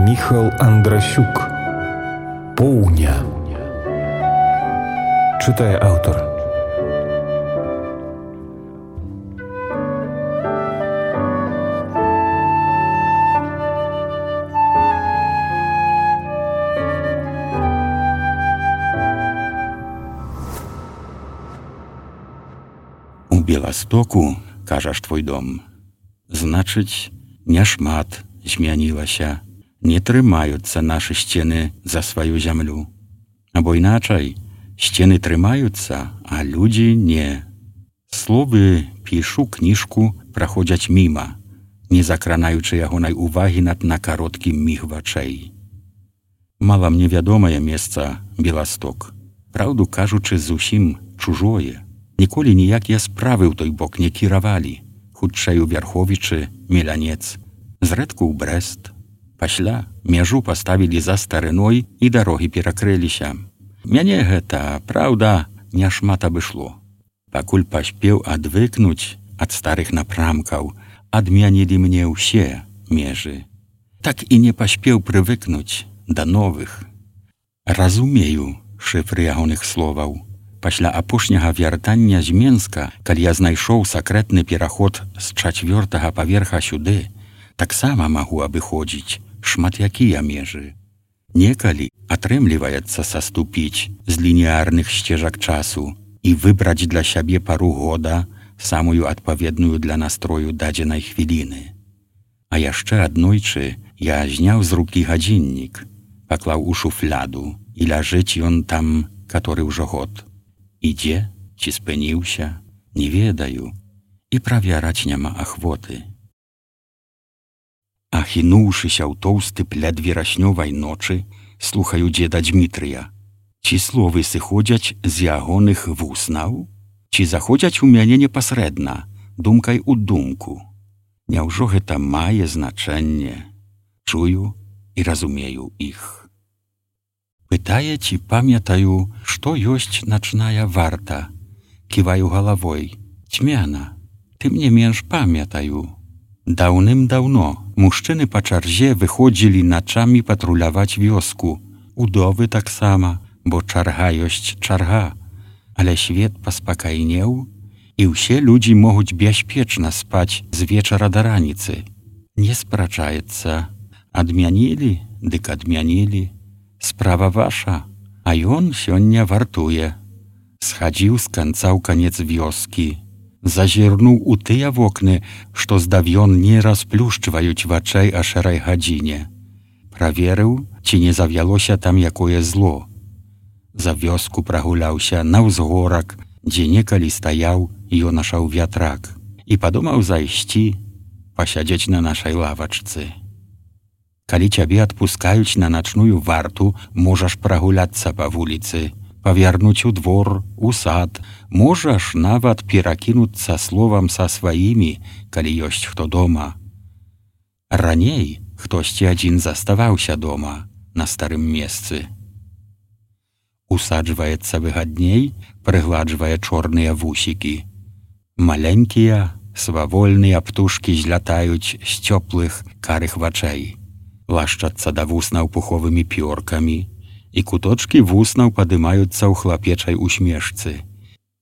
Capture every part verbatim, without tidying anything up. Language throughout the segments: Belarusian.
Міхал Андрасюк. Поўня. Чытае аўтар. У Беластоку, кажаш, твой дом, значыць, няшмат змянілася, не трымаюцца нашы сцены за сваю зямлю. Або іначай, сцены трымаюцца, а людзі не. Словы пішу кніжку праходзяць міма, не закранаючы ягонай увагі над на кароткі міг вачэй. Мала мне вядомае месца Беласток, праўду кажучы, зусім чужое. Ніколі ніякія справы ў той бок не кіравалі, хутчэй у Вярховічы, Мелянец, зрэдку ў Брэст. Пасля мяжу паставілі за старыной і дарогі перакрыліся. Мяне гэта, праўда, няшмат абышло. Пакуль паспеў адвыкнуць ад старых напрамкаў, адмянілі мне ўсе межы. Так і не паспеў прывыкнуць да новых. Разумею шыфры ягоных словаў. Пасля апошняга вяртання з Менска, калі я знайшоў сакрэтны пераход з чацвёртага паверха сюды, таксама магу абыходзіць шмат якія межы. Некалі атрымліваецца саступіць з лініярных сцежак часу і выбраць для сябе пару года, самую адпаведную для настрою дадзенай хвіліны. А яшчэ аднойчы я зняў з рукі гадзіннік, паклаў у шуфляду, і ляжыць ён там, каторы ўжо год. Ідзе, ці спыніўся, не ведаю, і правяраць няма ахвоты. Ахінуўшыся ў тоўсты пляд вераснёвай ночы, слухаю дзеда Дзмітрыя. Ці словы сыходзяць з ягоных вуснаў? Ці заходзяць у мяне непасрэдна, думкай у думку? Няўжо гэта мае значэнне? Чую і разумею іх. Пытае, ці памятаю, што ёсць начная варта. Ківаю галавой. Цьмяна, тым не менш памятаю. Даўным-даўно мужчыны па чарзе выходзілі начамі патруляваць вёску. Удовы таксама, бо чарга ёсць чарга. Але свет паспакайнеў, і ўсе людзі могуць бяспечна спаць з вечара да раніцы. Не спрачаецца. Адмянілі, дык адмянілі. Справа ваша, а ён сёння вартуе. Схадзіў з канца ў канец вёскі, зазірнуў у тыя вокны, што здавён не расплюшчваюць вачэй а шэрай гадзіне. Праверыў, ці не завялося там якое зло. За вёску прагуляўся на ўзгорак, дзе некалі стаяў ёнашаў вятрак, і падумаў зайсці, пасядзець на нашай лавачцы. Калі цябе адпускаюць на начную варту, можаш прагуляцца па вуліцы, павярнуць у двор, у сад, можаш нават перакінуцца словам са сваімі, калі ёсць хто дома. Раней хтосьці адзін заставаўся дома, на старым месцы. Усаджваецца выгадней, прыгладжвае чорныя вусікі. Маленькія, свавольныя птушкі злятаюць з цёплых карых вачэй. Лашчацца да вуснаў пуховымі пёркамі, і куточкі вуснаў падымаюцца ў хлапечай усмешцы.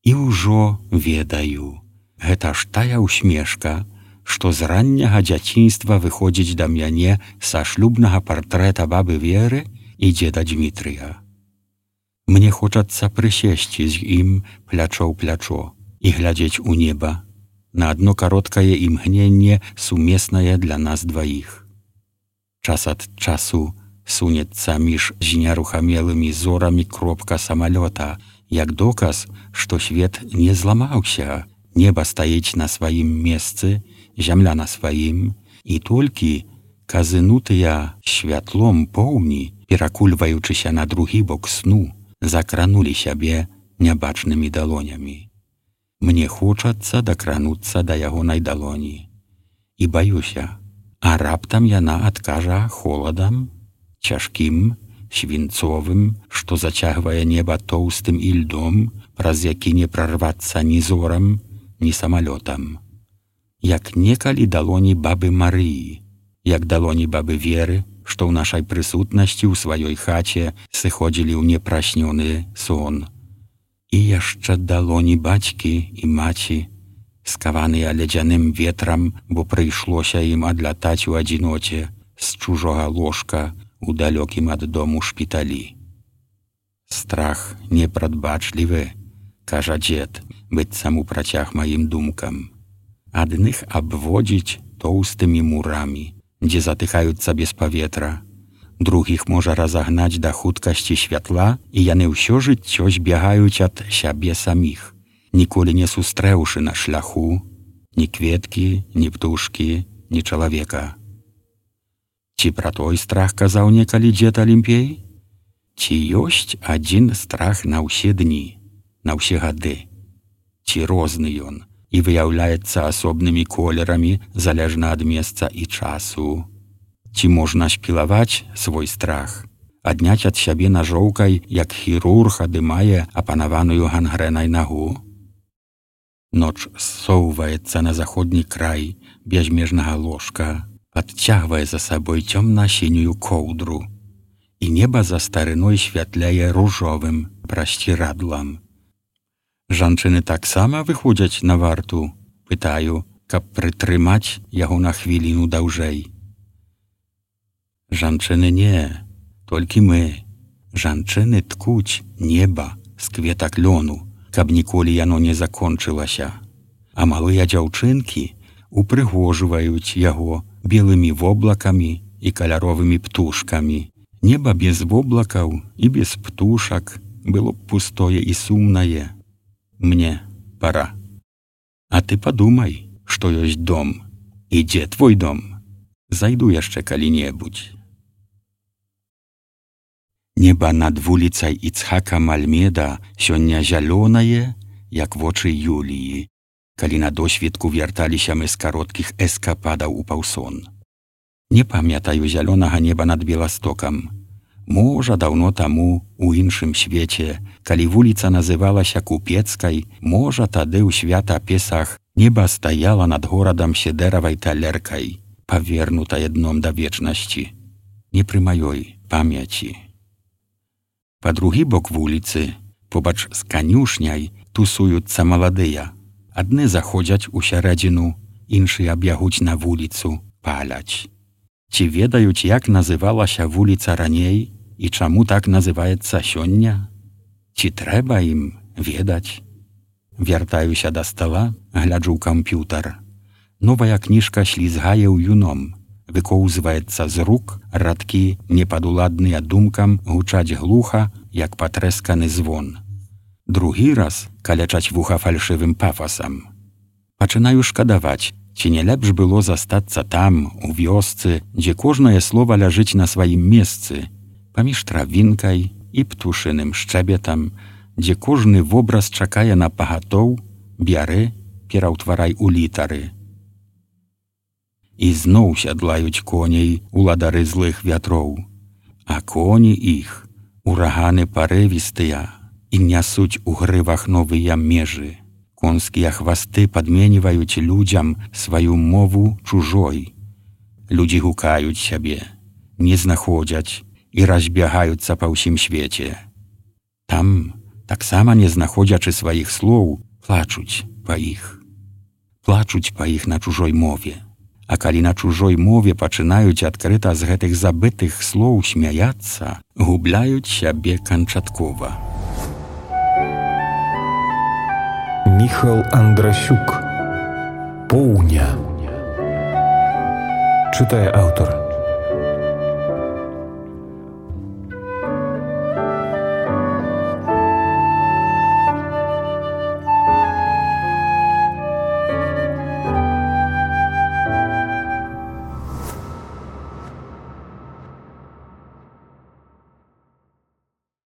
І ўжо ведаю, гэта ж тая усмешка, што з ранняга дзяцінства выходзіць да мяне са шлюбнага партрэта бабы Веры і дзеда Дзмітрыя. Мне хочацца прысесці з ім плячо ў плячо і глядзець у неба, на адно кароткае імгненне сумеснае для нас дваіх. Час ад часу сунецца між знерухамелымі зорамі кропка самалёта, як доказ, што свет не зламаўся, неба стаіць на сваім месцы, зямля на сваім, і толькі казынутыя святлом поўні, перакульваючыся на другі бок сну, закранулі сябе нябачнымі далонямі. Мне хочацца дакрануцца да ягонай далоні. І баюся, а раптам яна адкажа холадам, цяжкім, свінцовым, што зацягвае неба тоўстым ільдом, праз які не прарвацца ні зорам, ні самалётам. Як некалі далоні бабы Марыі, jak daloni baby Wiery, што ў нашай прысутнасці ў сваёй хаце сыходзілі ў непраснёны сон. І яшчэ далоні бацькі і маці, скаваныя ледзяным ветрам, бо прыйшлося ім адлятаць у адзіноце з чужога ложка у далёкім ад дому шпіталі. Страх непрадбачлівы, кажа дзед, быццам у працяг маім думкам. Адных абводзіць тоўстымі мурамі, дзе затыхаюцца без паветра, другіх можа разагнаць да хуткасці святла, і яны ўсё жыццё збягаюць ад сябе саміх, ніколі не сустрэўшы на шляху ні кветкі, ні птушкі, ні чалавека. Ці пра той страх казаў некалі дзед Алімпей? Ці ёсць адзін страх на ўсе дні, на ўсе гады? Ці розны ён і выяўляецца асобнымі колерамі залежна ад месца і часу? Ці можна спілаваць свой страх, адняць ад сябе нажоўкай, як хірург адымае апанаваную гангрэнай нагу? Ноч ссоўваецца на заходні край бязмежнага ложка, падцягвае за сабой цёмна-сінюю коўдру, і неба за старыной святляе ружовым прасцірадлам. Жанчыны таксама выходзяць на варту, пытаю, каб прытрымаць яго на хвіліну даўжэй. Жанчыны не, толькі мы. Жанчыны ткуць неба з кветак лёну, каб ніколі яно не закончылася. А малыя дзяўчынкі упрыгожваюць яго белымі воблакамі і каляровымі птушкамі. Неба без воблакаў і без птушак было б пустое і сумнае. Мне пора. А ты падумай, што ёсць дом. І дзе твой дом? Зайду яшчэ калі-небудзь. Неба над вуліцай Іцхака Мальмеда сёння зялёнае, як вочы Юліі, калі на досвідку вярталіся мы з кароткіх эскападаў у паўсон. Не памятаю зялёнага неба над Беластокам. Можа, даўно таму, у іншым свеце, калі вуліца называлася Купецкай, можа, тады ў свята Песах неба стаяла над горадам седэравай талеркай, павернутае дном да вечнасці. Не пры маёй памяці. Па другі бок вуліцы, побач з канюшняй, тусуюцца маладыя. Адны заходзяць у сярэдзіну, іншыя бягуць на вуліцу, паляць. Ці ведаюць, як называлася вуліца раней і чаму так называецца сёння? Ці трэба ім ведаць? Вяртаюся да стала, гляджу ў камп'ютар. Новая кніжка слізгае ў юном, выкоўзваецца з рук, радкі, непадуладныя думкам, гучаць глуха, як патрэсканы звон. Другі раз калячаць вуха фальшывым пафасам. Пачынаю шкадаваць, ці не лепш было застацца там, у вёсцы, дзе кожнае слова ляжыць на сваім месцы, паміж травінкай і птушыным шчэбетам, дзе кожны вобраз чакае на пагатоў, бяры, пераўтварай у літары. І зноў сядлаюць коней уладары злых вятроў, а коні іх, ураганы парывістыя, і нясуць у грывах новыя межы. Конскія хвасты падменіваюць людзям сваю мову чужой. Людзі гукаюць сябе, не знаходзяць і разбягаюцца па ўсім свеце. Там, таксама не знаходзячы сваіх слоў, плачуць па іх. Плачуць па іх на чужой мове. А калі на чужой мове пачынаюць адкрыта з гэтых забытых слоў смяяцца, губляюць сябе канчаткова. Міхал Андрасюк. Поўня. Чытае аўтар.